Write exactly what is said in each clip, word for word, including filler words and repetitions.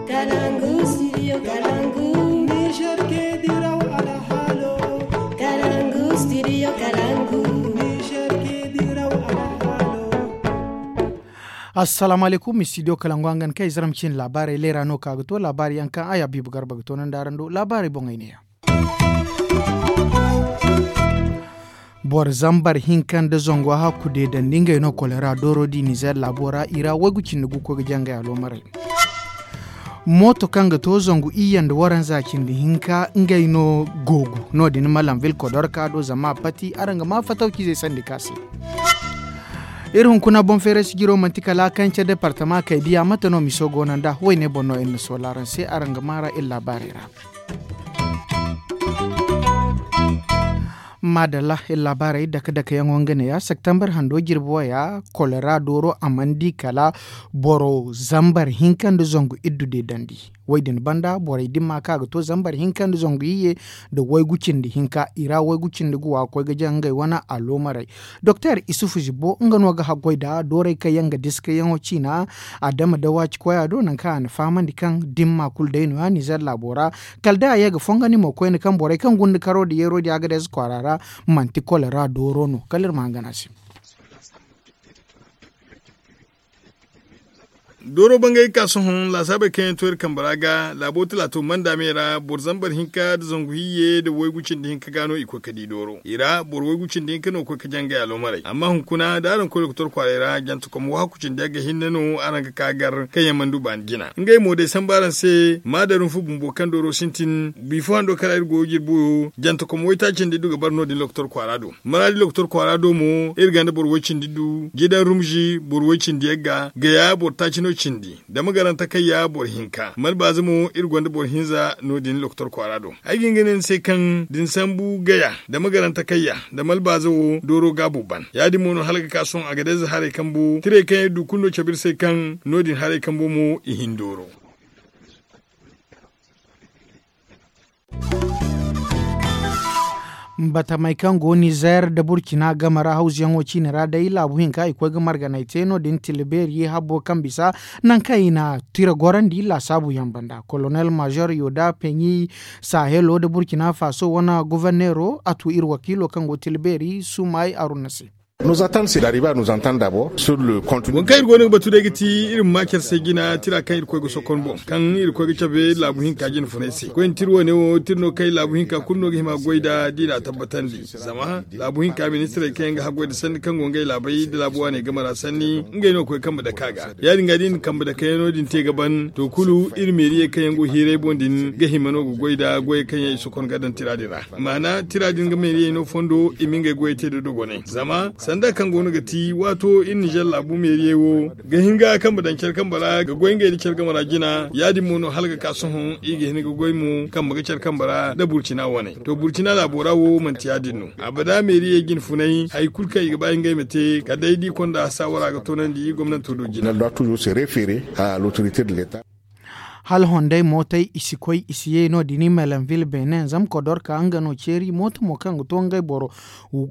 Kalangu studio kalangu. Niger ke diraw alhalo. Kalangu studio kalangu. Niger ke diraw alhalo. Assalamu alaikum studio kalangu hangan kai zaram cin labarai lera no ka ga to labari yankan aya bibu garba ga to nan daran do labarai bon ai ne ya. Boro zambar hinka nda zango hakku de dandi ngey no kolera dooro di nizer laabo ra i ra waygu cindi gu koy ga jangay alomaray. Mooto kaŋ ga to zangu iyye nda waranza cindi hinka ngey no googu. No- din malam vil kodorka do zama a pati araŋ ga ma fatawcizey sandi ka se. Iri hunkuna boŋ feeray sijiro manti kala kaŋ ce departama kay diya mate no miso go no nda wayne boŋ no iri na soola araŋ se araŋ ga ma ra iri laabaarey ra. Maadalla iri laabaarey dake dake yaŋo nga neeya septembar hando jirbi waya kolera dooro a mana di kala boro zambar hinka nda zangu iddu deedandi. Wo- din banda borey dimma kaŋ a ga to zambar hinka nda zangu iyye nda waygu cindi hinka i ra waygu cindi ga wa ga koy ga jaŋ ngey wane aloomarey. Doktor isufu zibbo nga no ga haggoy nda doorey kaŋ yaŋ ga diskayaŋo ciina adama da waaci koya do nangu kaŋ a na fahamandi kaŋ dimma kulu day no- ya nizer laabo ra. Kala day a ye ga fongandi mo koyne kaŋ borey kaŋ gunda karo nda yeero din a ga day za kwaara ra manti kolera dooro no kala iri ma hangan a se. Dooro bangay ga ka sohõ laasaabey kaŋ yaŋ to iri kambe ra ga laabo talaato manda me ra boro zambar hinka nda zangu hiyye nda waygu cindi hinka ga no i koy ga di dooro i ra boro waygu cindi hinka no ga koy ga jangay aloomarey amma hunkuna da araŋ koy doktor kwaaray ra jantakom wahakku cindi yagga hinne no araŋ ga ka gar kaŋ yaŋ mana du baani jina ngey mo day sambu araŋ se maadarum fu bumbo kaŋ dooro sintin bifo hando kaŋ ra iri go ga jirbi wo jantakom waytaaci nda iddu ga bara no- din doktor kwaara do maraadi doktor kwaara do mo iri gonda boro way cindi du jidan rumzi boro way cindi yagga gaya boro taaci no cindi dama garanta kayya boro hinka malbaaza mo iri gonda boro hinza no- din doktor kwaara do ay ga hin ga ne ni se kaŋ da ni sambu gaya dama garanta kayya da malbaaza wo dooro gaabu ban ya- din mo no hala ga ka sohõ a ga day za haray kambo tirey kaŋ iri du kulu no cabe iri se kaŋ no- din haray kambo mo i hin dooro. Batamey kaŋ go nizer nda burcina game ra hawzuyaŋo ciine ra day laabu hinka i koy ga marganey te no- din tila beeri habbo kaŋ bisa nangu kaŋ i na tira gorandi laasaabu yaŋ banda kolonel mazer yoda peɲi sahelo nda burcina faso wane goforneero a tu iri wakiilo kaŋ go tila beeri sumaay aruna se. Waŋ kaŋ iri go no ga batu day ga ti iri ma ma care se jina tira kaŋ iri koy ga sokon boŋ kaŋ iri koy ga cabe laabu hinka jina funay se koy ni tira wane wo tira no kaŋ iri laabu hinka kulu no ga hima goy nd'a da i na a tabbatandi zama laabu hinka ministirey kaŋ yaŋ ga haggoy nda sanni kaŋ go ngey laabey nda laabu waaney game ra sanni ngey no ga koy kambe dake a ga ya- din ga da i na kambe dakeyaŋo din te ga ban to kulu iri meeriyey kaŋ yaŋ go hiiray boŋ din ga hima no ga goy nda goyey kaŋ yaŋ i sokon ga daŋ tira din ra maana tira din ga meeriyey no fondo i ma ngey goyey te da dogonay zama sanda kaŋ go no ga ti waato iri nizer laabu meeriyey wo ga hin ga kambe daŋ care kambe ra ga goy ngey nda care game ra jina ya- din mo no hala ga ka sohõ i ga hin ga goy mo kambe ga care kambe ra nda burcina wane to burcina laabo ra wo manti ya- din no abada meeriyey jine funay hari kulu kaŋ i ga ba ngey ma te kala day da i konda saawara ga toonandi gomnanto do jina. Hala hondey mootey i si koy i si ye no- din i melenville benin zama kodorka nga no ceeri mooto mo kaŋ ga to ngey boro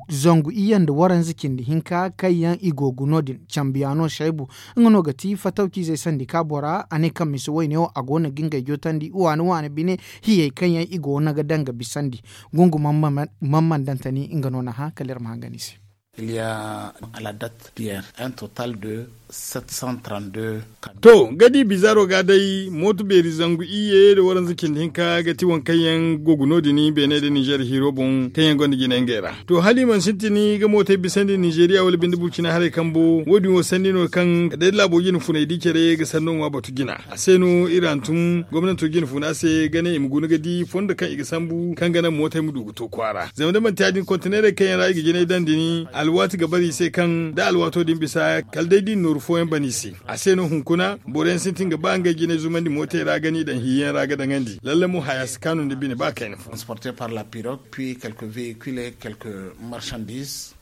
zangu iyye nda waranza cindi hinka kaŋ yaŋ i go ga no- din cambiyaano saybu nga no ga ti fatawcizey sandi ka bora a ne kaŋ misa wayne wo a go no ga ngey jootandi waani waani bine hiyey kaŋ yaŋ i go no ga daŋ ga bisandi gungu man man dantani nga no na hã kala iri ma hangan i se. Il y a à la date d'hier un total de sept cent trente-deux. To ga di bizaro ga day mooto beeri zangu iyye nda waranza cindi hinka ga ti waŋ kaŋ yaŋ go ga no- din beene nda nizer hiiro boŋ kaŋ yaŋ gonda jina ngey ra to hala i mana sintin ga mootey bisandi nizeriya wala binde burcina haray kambo wo- din wo sanni no kaŋ kala day da laabo jine funay di care ga sanno ŋwa batu jina a se no iri hantum gomnanto jine funa se ga ne i ma guna ga di fondo kaŋ i ga sambu kaŋ ga naŋ mootey ma du ga to kwaara zama da manti ya- din konteneerey kaŋ yaŋ ra i ga jinay daŋ din alwaati ga bara i se kaŋ da alwaato din bisa kala day da i na nooru fooyaŋ ban i se a se no hunkuna boro yaŋ sintin ga ba ngey jinay zumandi mootey ra ga no i daŋ hiiyaŋ ra ga daŋandi lalle mo haya si kaanu nda bine ba kayna fo. Transporté par la pirogue puis quelques véhicules et quelques marchandises.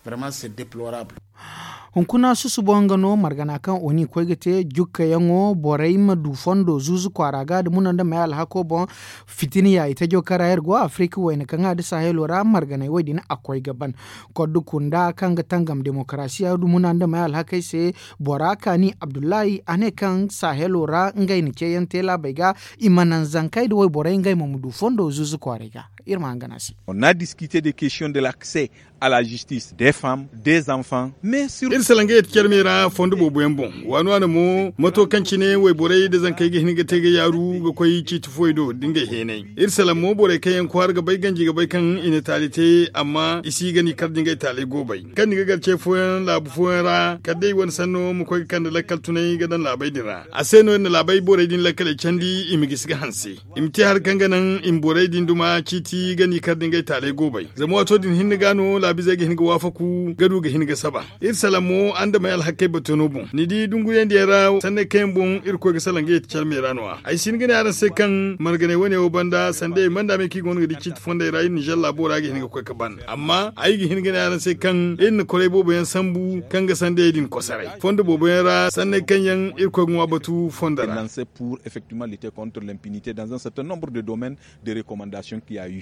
Hunkuna susubo nga no margana kaŋ oni koy ga te jukkayaŋo borey ma du fondo zuuzu kwaara ga nda muna nda may alhako boŋ. Fitina ya itajo kaŋ ra iri go afirika wayna kaŋ a nda sahelo ra marganey wo- din a koy ga ban. Koddu kunda kaŋ ga tangam demokarasiya nda muna nda may alhakey se bora kaani abdullahi a ne kaŋ sahelo ra ngey na ceeyaŋ te laabey ga i ma naŋ zankey nda wayborey ngey mo ma du fondo zuuzu kwaarey ga. Iri ma hangan a se. Onna diskite de kestiyoŋ de lakse a la zistis de fam de zanfan. Iri salaŋ ga yeti care me ra fondo boobo yaŋ boŋ waani waani mo mato kaŋ cine wayborey nda zankey ga hin ga te ga yaaru ga koy ciiti fooyaŋ do da ngey heenay. Iri salaŋ mo borey kaŋ yaŋ kwaara ga bay ganji ga bay kaŋ i na taali te amma i si ga ni kar da ngey taaley goobay kaŋ ni ga gar ce fooyaŋ laabu fooyaŋ ra kala day wane sanno ma koy ga kande lakkal tunay ga daŋ laabey din ra a se no iri na laabey borey din lakkaley candi i ma gisi ga hanse. I ma te hari kaŋ ga naŋ i ma borey din duma ciiti ga ni kar da ngey taaley goobay zama waato din hinne ga no laabizey ga hin ga waafaku ga du ga hin ga saba. Iri salaŋ mo andamey alhakkey bato no boŋ ni di dunguyandiyaŋ ra sanney kaŋ yaŋ boŋ irkoy ga salaŋ ga yeti care me ra no- ya ay si hin ga ne araŋ se kaŋ marganey wane wo banda sandayey manda me kaŋ i go no ga di ciiti fondey ra iri ninzeer laabo ra ga hin ga koy ga ban amma ay ga hin ga ne araŋ se kaŋ iri na koray boobo yaŋ sambu kaŋ ga sandayey din kosoray fondo boobo yaŋ ra sanney kaŋ yaŋ irkoy ga ŋwa batu fondo ra. Pour effectivement lutter contre l'impunité dans un certain nombre de domaines de recommandation qui a eu.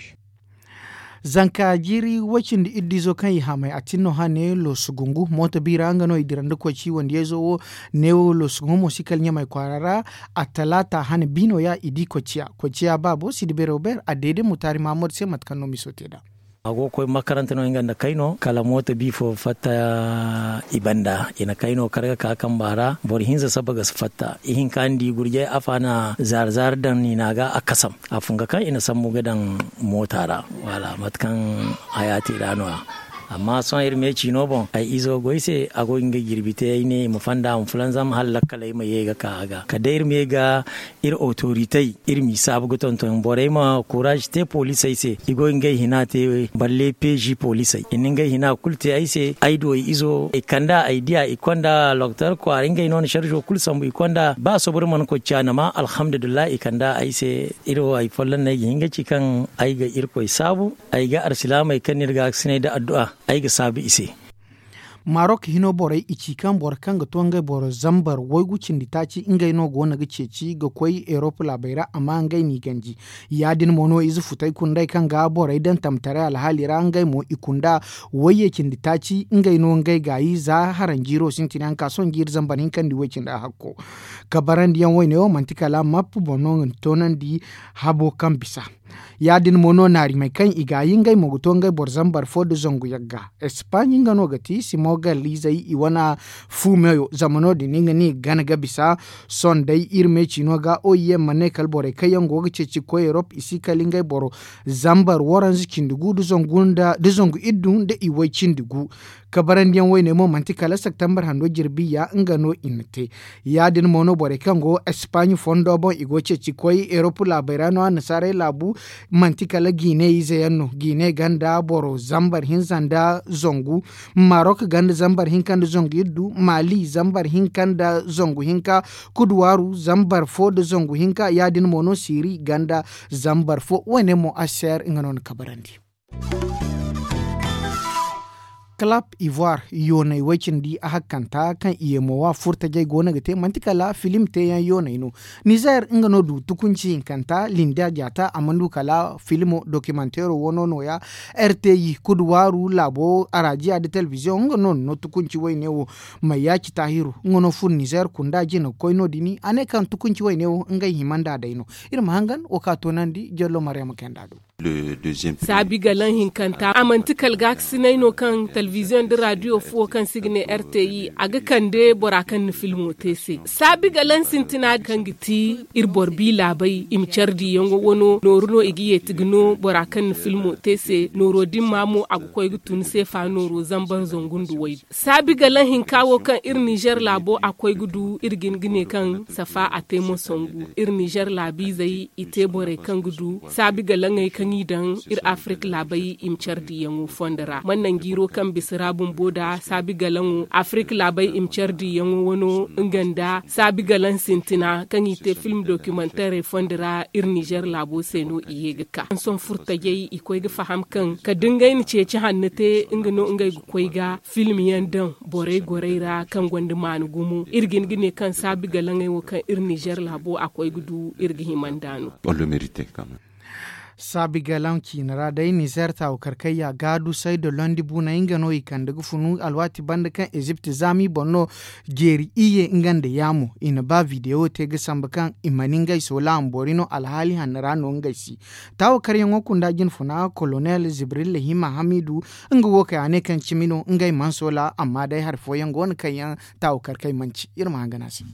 Zanka jiiri woy cindi iddizo kaŋ i hamay a tin no hane loosu gungu mooto biira nga no i dira nda koy ci wandiyayzo wo. Neewo loosu gungu mo si kala ɲamay kwaara ra a talaata hane biino ya i di koy ciya koy ciya baabo si di beero beer a deede mutaari maamud se mate kaŋ no miso te nd'a. A go ga koy makaranta no nga nda kayno kala mooto bi fo fatta i banda i na kayno kar ga ka kamba ra boro hinza saba ga si fatta ihinka ni di gurjay afa na zaari zaari daŋ niina ga a kasam. A funga kaŋ i na sambu ga daŋ moota ra wala mate kaŋ haya te ra no- ya. Amma sohõ iri me ciino boŋ ay izo goy se a go ga nga jirbi te ay ne i ma fanda a ma fulanzam hala lakkaley ma ye ga ka a ga kala day iri ma ye ga iri otoritey iri m'i saabu ga tonton borey ma kuraaz te poliisey se i go ga ngey hina te balle peezi poliisey i na ngey hina kulu te ay se ay du ay izo i kand'a ay diya i konda loktor kwaara ngey no na sarzo kulu sambu i konda ba soboro mana koy ciya nama alhamdulillahi i kand'a ay se. Iri wo hari folloŋ no ay ga hin ga ci kaŋ ay ga irkoy saabu ay ga alsilaamey kaŋ no iri ga a ga sinay nda addu'a ay ga saabu i se. Marok hino borey i ci kaŋ boro kaŋ ga to ngey boro zambar waygu cindi taaci ngey no go no ga ceeci ga koy erop laabey ra amma ngey n'i ganji. Ya- din mo no ize futay kundey kaŋ ga borey daŋ tamtaray alhaali ra ngey mo i kunda wayye cindi taaci ngey no ngey gaayi za haranjiiro sintina yaŋ ka sohõ jiiri zambar hinka nda way cindi ahakko. Kabarandiyaŋ wayne wo manti kala map boŋ no ga ni toonandi habo kaŋ bisa. Ya- din mo no naarimey kaŋ i gaayi ngey mo ga to ngey boro zambar fo nda zangu yagga. Espaaɲi nga no ga ti simogalizey i wane fu meyo zama no- din nga ne i gana ga bisa. Sohõ day iri me ciino ga oim ma ne kala borey kaŋ yaŋ go ga ceeci ga koy erop i si kala ngey boro zambar waranza cindi gu nda zangu iddu nda i way cindi gu. Kabarandiyaŋ wayne mo manti kala septembar hando jirbi ya nga no i na te. Ya- din mo no borey kaŋ go espaaɲi fondo boŋ i go ceeci ga koy erop laabey ra no annasaarey laabu. Manti kala jiine ize yaŋ no jiine ganda boro zambar hinza nda zangu. Marok ganda zambar hinka nda zangu iddu maali zambar hinka nda zangu hinka. Kuduwaaru zambar fo nda zangu hinka ya- din mo no siiri ganda zambar fo wayne mo aser nga no na kabarandi. Kalap ivoire yoonay way-cindi ahakkanta kaŋ i ye mo wa furtajey go no ga te manti kala filim teeyaŋ yoonay no. Nizer nga no du tukunci hinkanta linda jaata a mana du kala filimo dokimanteero wano nooya. Rti kuduwaaru laabo arajiya nda telebiziyoŋ nga no na no tukunci wayne wo. Mayaaci taahiru nga no furo nizer kunda jina ga koy no- din a ne kaŋ tukunci wayne wo ngey hima nd'a day no. Iri ma hangan wo ka toonandi jallo maryama kayanda do. Saabi galaŋ hinkanta a manti kala gaakasinay no kaŋ telebiziyoŋ nda raadiyo fuwo kaŋ se i ga ne rti a ga kande bora kaŋ na filmo te se. Saabi galaŋ sintina kaŋ ga ti iri boro bi laabey i ma care diyaŋo wano nooru no i ga yeeti ga no bora kaŋ na filmo te se nooro din ma mo a ga koy ga tun seefa nooro zambar zangu nda waygu. Saabi galaŋ hinka wo kaŋ iri nizer laabo a koy ga du iri ga hin ga ne kaŋ safa a te mo sangu. Iri nizer laabiizey i te borey kaŋ ga du saabi galaŋey. Kaŋ i daŋ iri afirik laabey i ma care diyaŋo fondo ra mana nangu iro kaŋ bisa ra bumbo nda saabi galaŋo afirik laabey i ma care diyaŋo wano nga nda saabi galaŋ sintina kaŋ i te film dokimantarey fondo ra iri nizer laabo se no i ye ga ka hansom furtajey i koy ga faham kaŋ kala da ngey na ceeci hanno te nga no ngey ga koy ga film yaŋ daŋ borey gorey ra kaŋ gonda maana gumo iri ga hin ga ne kaŋ saabi galaŋey wo kaŋ iri nizer laabo a koy ga du iri ga hima nd'a no. Saabi galaŋ ciine ra day nizer taawu karkayya gaadu sayda londi buunay nga no i kande ga funu alwaati banda kaŋ ezipt zaami boŋ no jeeri iyye nga nda yaamo i na ba videwo te ga sambu kaŋ i mana ngey soola ma boori no alhaali hanno ra no ngey si. Taawu karyaŋo kunda jinfuna kolonel zibril lahima hamidu nga wo kay a ne kaŋ cimi no ngey mana soola amma day hari fooyaŋ go no kaŋ yaŋ taawu karkay manci iri ma hangan a se.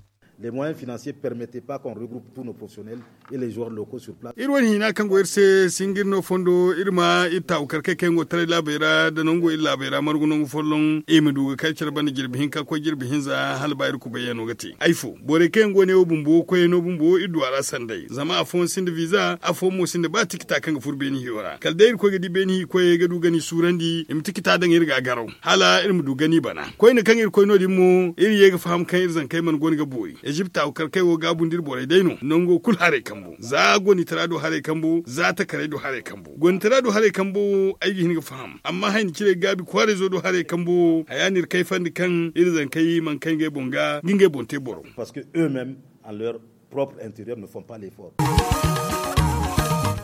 Les moyens financiers permettent pas qu'on regroupe tous nos professionnels et les joueurs locaux sur place. Iri wane hina kaŋ go iri se si nga iri no fondo iri ma iri taawu karkay kaŋ yaŋ go taray laabey ra nda nangu iri laabey ra margu nangu folloŋ i ma du ga kay care banda jirbi hinka koy jirbi hinza hala ba iri kubayyaŋo ga te ay fo borey kaŋ yaŋ go ne wo bumbo koyey no bumbo iri du a ra sanday zama afooyaŋ sinda viza afooyaŋ mo sinda ba tikita kaŋ ga furo beeni hiyo ra kala day iri koy ga di beeni hiikoyey ga du ga ni suurandi i ma tikita daŋ iri ga a garaw hala iri ma du gani bana koyne kaŋ iri koy no- din mo iri ye ga faham kaŋ iri zankey mana guna ga boori ezipt a ga kar kay wo gaabu nda iri borey day no nango kulu haray kambu za gonitara do haray kambu za takaray do haray kambu gonitara do haray kambu ay ga hin ga faham amma hayni cire gaabi kwaarayzo do haray kambu haya no iri kayfandi kaŋ iri zankey mana kay ngey boŋ ga ga ngey boŋ te boro.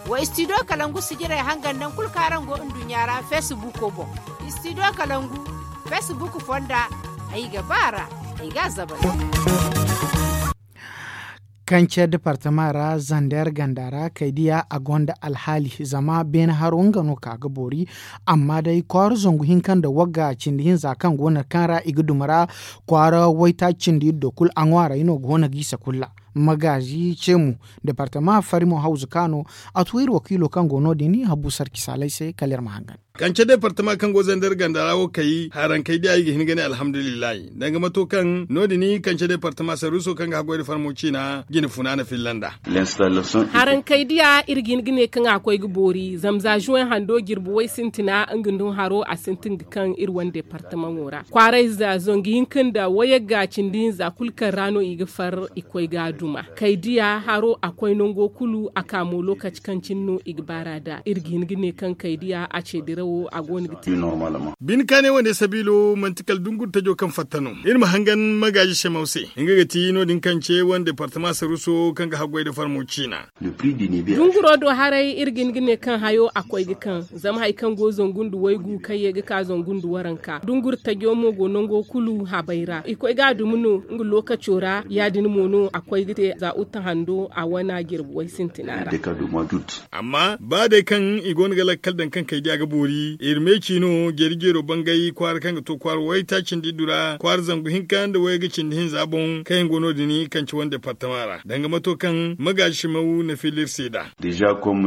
Wa studio kalangu sijirey hangan nangu kulu kaŋ araŋ go nduɲɲa ra facebook boŋ. Studio kalangu facebook fonda ay ga ba a ra ay ga a zabari. Kance departama ra zander ganda ra kaydiya a gonda alhaali zama beene haro nga no ka ga boori. Amma day kwaara zangu hinka nda wagga cindi hinza kaŋ go no kaŋ ra i ga duma ra kwaara waytaaci cindi iddo kulu a ŋwaaray no go no ga isa kulu ra. Magaazi ce mo departama fari mo hawzu ka no a tu iri wakiilo kaŋ go no- din habu sarki saalay se kala iri ma hangan. Kance departama kaŋ go zandar ganda ra wo kay harankey diya i ga hin ga ne alhamdulillahi danga mato kaŋ no- din kance departama saruuso kaŋ ga haggoy nda farmo ciina jine funaana filla nd'a. Harankey diya iri ga hin ga ne kaŋ a koy ga boori zama za zuwey hando jirbi way sintina nga nda haro a sintin ga kaŋ iri wane departamaŋo ra kwaarayza zangu hinka nda wayagga cindi hinza kulu kaŋ ra no i ga far i koy ga a duma kaydiya haro a koy nango kulu a ka mo lokaci kaŋ cine no i ga baar'a nd'a iri ga hin ga ne kaŋ kaydiya a ce dirawo a go no ga te. Bine kaanay wane sabiilo manti kala dungur tajo kaŋ fatta no iri ma hangan magaazi semaw se nga ga ti no- din kaŋ ce wane departama saruuso kaŋ ga haggoy nda farmo ciina. Dunguro do haray iri ga hin ga ne kaŋ hayo a koy ga kaŋ zama hari kaŋ go zangu nda waygu kaŋ ye ga ka zangu nda waranka dungur tajo mo go nango kulu habay ra i koy ga a dumi no nga lookaco ra ya- din mo no a koy ga te za uta hando a wana jirbi way sintina ra. Amma ba day kaŋ i go no ga lakkal daŋ kaŋ kaydiya ga boori iri meeci no jeeri jeero bangay kwaara kaŋ ga to kwaara waytaaci nda iddu ra kwaara zangu hinka nda wayga cindi hinza boŋ kaŋ yaŋ go no- din kaŋ ci wane departama ra danga mato kaŋ magaazi simaw na filla iri se nd'a.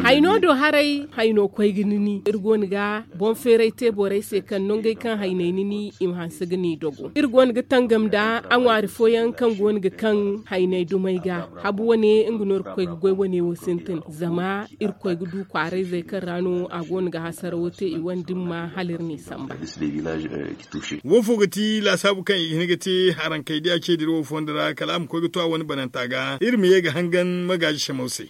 Hayno do haray hayno koy ga ni ni iri go no ga boŋ feeray te borey se kaŋ nongey kaŋ hayney ni ni i ma hanse ga ni dogo iri go no ga tangam nda a ŋwaari fooyaŋ kaŋ go no ga kaŋ hayney dumey ga habu wane nga no iri ga koy ga goy wane wo sintin zama iri koy ga du kwaarayzey kaŋ ra no a go no ga hasarawo te i wane dimma hala iri n'i samba. Wo fo ga ti laasaabu kaŋ i ga hin ga te harankey diya ce dira wo fondo ra kala a ma koy ga to a wane bananta ga iri ma ye ga hangan magaazi semaw se.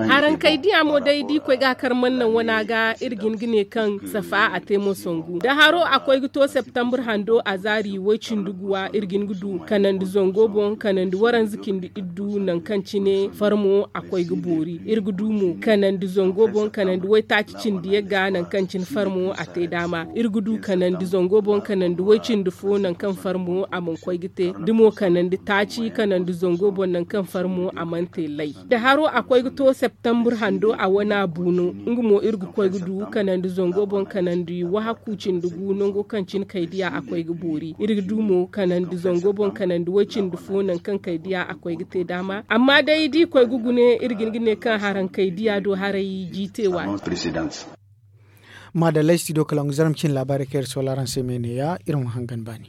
Harankey diya mo day da i koy ga a kar mana naŋ wana ga iri ga hin ga ne kaŋ safa a te mo sangu da haro a koy ga to septambur hando a zaari way cindi guwa iri ga hin ga du kanandi zango boŋ kanandi waranza cindi iddu nangu kaŋ cine farmo a koy ga boori iri ga du mo kanandi zango boŋ kanandi waytaaci cindi yagga nangu kaŋ cine farmo a te daama iri ga du kanandi zango boŋ kanandi way cindi fo nangu kaŋ farmo a mana koy ga te da mo kanandi taaci kanandi zango boŋ nangu kaŋ farmo a mana te lay da haro a koy ga to septambur hando a wana bu no nga mo iri ga koy ga du kanandi zango boŋ kanandi wahaku cindi gu nango kaŋ cine kaydiya a koy ga boori iri ga du mo kanandi zango boŋ kanandi way cindi fo nangu kaŋ kaydiya a koy ga te daama amma day da i koy ga gune iri ga hin ga ne kaŋ harankey diya do haray jiite waati. Maadallay studio kalangu zarma cine laabaarey kaŋ iri soola araŋ se me neeya iri ma hangan baani.